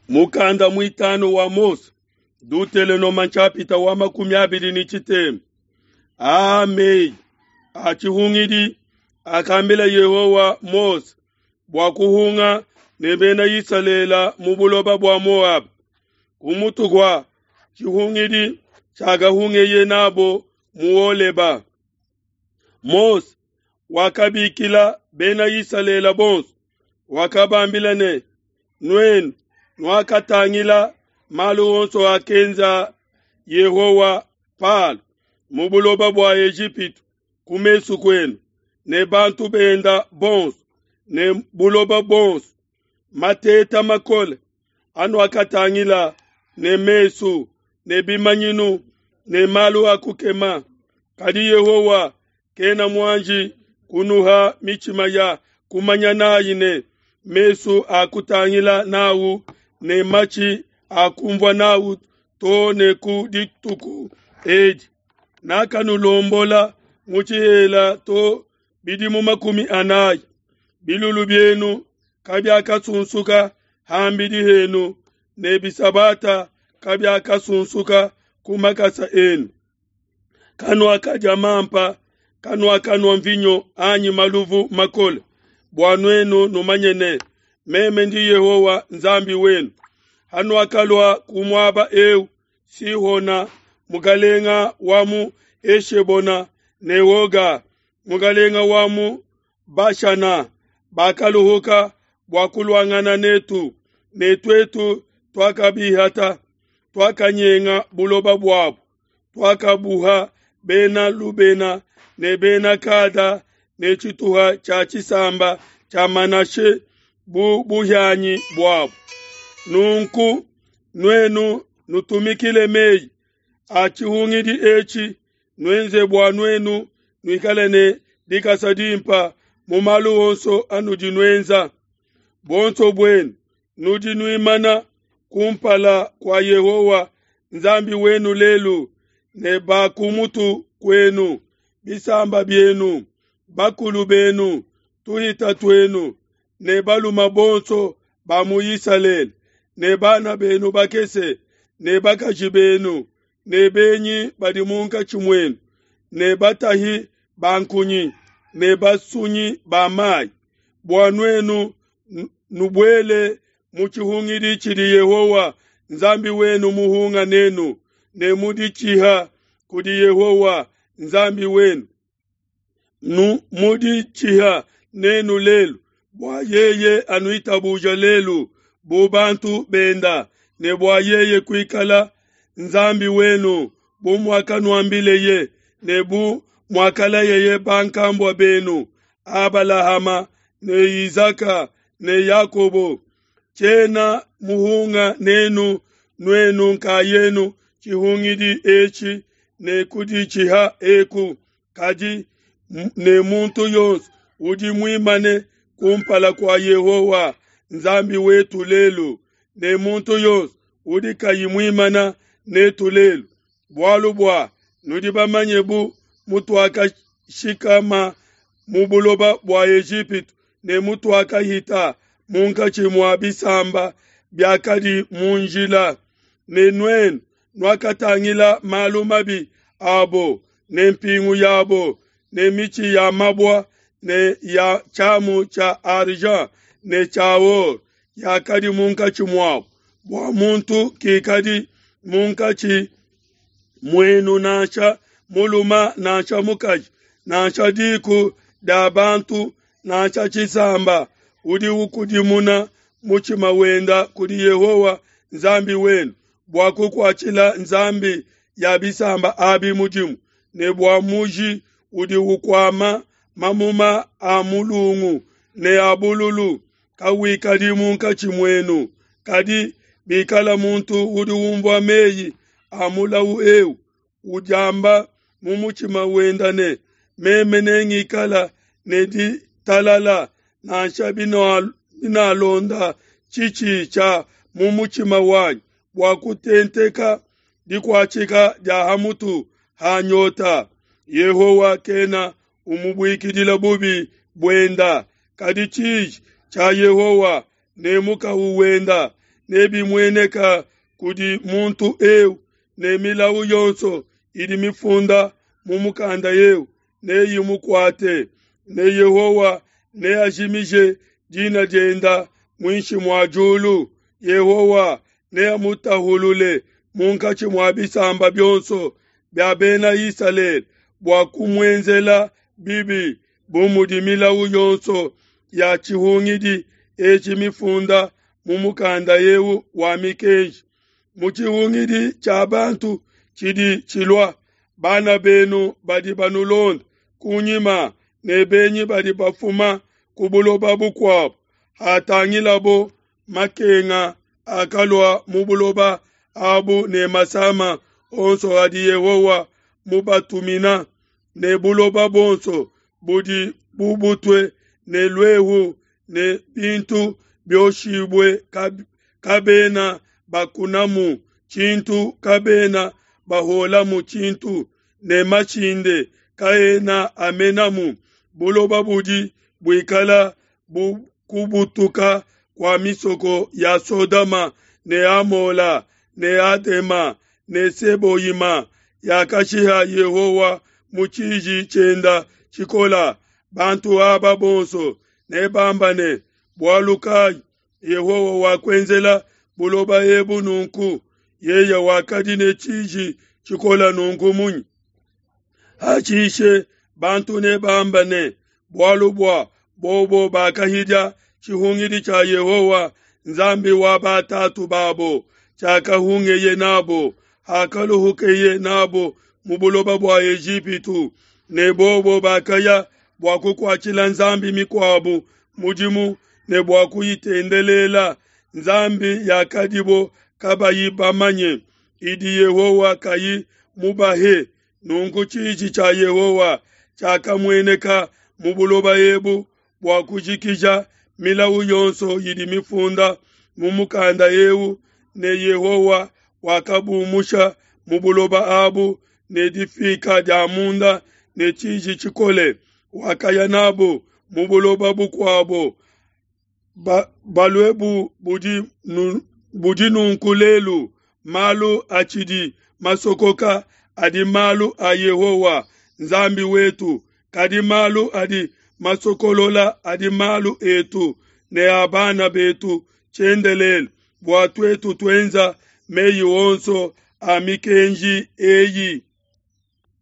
Mukanda muitanu wa Mose, Dutelenoma nshapita wa 23. Aa meyi a tshihungidi akambila Yehowa Mose bua kuhunga ne bena Isalele mu buloba bua Moaba, ku mutu kua tshihungidi tshiakahungeye nabo mu Holeba. Mose wakabikila bena Isalele bonso, wakabambila ne, Nuenu nuakatangila malu onso akenza Yehowa Palo mu buloba bua Ejipitu ku mesu kuenu, ne bantu benda bonso ne buloba bonso, mateta makole anuakatangila ne mesu ne bimanyinu ne malu a kukema. Kadi Yehowa kena muanji kunuha mitshima ya kumanya nayi ne mesu a kutangila nawu ne matshi a kumvua nawu too ne ku dituku edi. Nakanulombola mu tshihela to bidimu 40. Bilulu bienu kabiakasunsuka ham'bidi henu, ne bisabata kabiakasunsuka ku makasa enu. Kanuakadia mampa, kanuakanua mvinyo anyi maluvu makole, bua nuenu numanye ne, meme ndi Yehowa Nzambi wenu. Hanuakalua ku muaba eu, Sihona mukalenga wa mu Eshebona ne Oga mukalenga wa mu Bashana bakaluhuka bua kuluangana netu, ne tuetu tuakabihata, tuakanyenga buloba buabu, tuakabuha bena Lubena ne bena Kada ne tshituha tshia tshisamba tshia Manashe bu buhianyi buabu. Nunku nuenu nutumikile meyi a tshihungidi etshi, nuenze bua nuenu nuikale ne dikasa dimpa mu malu onso anudi nuenza. Buonso buenu nudi nuimana kumpala kua Yehowa Nzambi wenu lelu, ne ba ku mutu kuenu, bisamba bienu, bakulu benu, tuhita tuenu, ne baluma bonso ba mu Isalele, ne bana benu bakese, ne bakaji benu, ne benyi badi munkatshi muenu, ne batahi ba nkunyi, ne basunyi ba mayi, bua nuenu nubuele mu tshihungidi tshidi Yehowa Nzambi wenu muhunga nenu, ne muditshiha kudi Yehowa Nzambi wenu. Nu muditshiha nenu lelu, bua yeye anuitabuja lelu bu bantu benda, ne bua yeye kuikala Nzambi wenu bu muakanuambileye, ne bu muakalayeye bankambua benu Abalahama ne Isaka ne Yakobo. Tshiena muhunga nenu nuenu nkayenu tshihungidi etshi ne kuditshiha eku, kadi ne muntu yonso udi muimane kumpala kua Yehowa Nzambi wetu lelu, ne muntu yonso udi kayi muimana netu lelu, bualu bua nudi bamanye bu mutuakashikama mu buloba bua Ejipitu ne mutuakahita munkatshi mua bisamba biakadi mu njila, ne nuenu nuakatangila malu mabi abo ne mpingu yabo ne mitshi ya mabua ne ya tshiamu tshia argent ne tshia or yakadi munkatshi muabo, bua muntu kikadi munkatshi muenu nansha muluma nansha mukaji nansha diku dia bantu nansha tshisamba udi ukudimuna mutshima wenda kudi Yehowa Nzambi wenu bua kukuatshila nzambi ya bisamba abi mudimu, ne bua muji udi ukuama mamuma a mulungu ne a bululu kawikadi munkatshi muenu. Kadi bikala muntu udi umvua meyi a mulawu eu udiamba mu mutshima wenda ne, meme nengikala ne ditalala, nansha binalonda tshitshi tshia mu mutshima wanyi bua kutenteka dikuatshika dia hamutu ha nyota, Yehowa kena umubuikidila bubi buenda, kadi tshiji tshia Yehowa ne mukawu wenda nebimueneka kudi muntu eu, ne milawu yonso idi mifunda mu mukanda eu neyimukuate, ne Yehowa neajimije dina dienda muinshi mua diulu. Yehowa neamutahulule munkatshi mua bisamba bionso bia bena Isalele bua kumuenzela bibi, bu mudi milawu yonso ya tshihungidi etshi mifunda mu mukanda eu wa mikenji. Mu tshihungidi tshia bantu tshidi tshilua, bana benu badi banulonda kunyima ne benyi badi bafuma ku buloba bukuabo, hatangilabo makenga akalua mu buloba abu ne masama onso adi Yehowa mubatumina, ne buloba buonso budi bubutue ne luehu ne bintu bioshibue kabena bakunamu tshintu, kabena baholamu tshintu, ne mashinde kaena amenamu. Buloba budi buikala bu kubutuka kua misoko ya Sodoma ne Amola ne Adema ne Seboyima yakashiha Yehowa mu tshiji tshienda tshikola. Bantu aba bonso nebamba ne, bualu kayi Yehowa wakuenzela buloba ebu nunku? Yeye wakadi ne tshiji tshikola nunku munyi? Hashishe bantu nebamba ne, bualu bua bobo bakahidia tshihungidi tshia Yehowa Nzambi wa batatu babo, tshiakahungeye nabo hakaluhukeye nabo mu buloba bua Ejipitu, ne bobo bakaya bua kukuatshila nzambi mikuabu mudimu ne bua kuyitendelela, nzambi yakadibo kabayi bamanye, idi Yehowa kayi mubahe. Nunku tshiji tshia Yehowa tshiakamueneka mu buloba ebu bua kujikija milawu yonso idi mifunda mu mukanda eu, ne Yehowa wakabumusha mu buloba abu ne difika dia munda ne tshiji tshikole, wakaya nabo mu buloba bukuabo, balue bu budi nunku lelu. Malu atshidi masokoka adi malu a Yehowa Nzambi wetu, kadi malu adi masokolola adi malu etu ne a bana betu tshiendelele, bua tuetu tuenza meyi onso a mikenji eyi.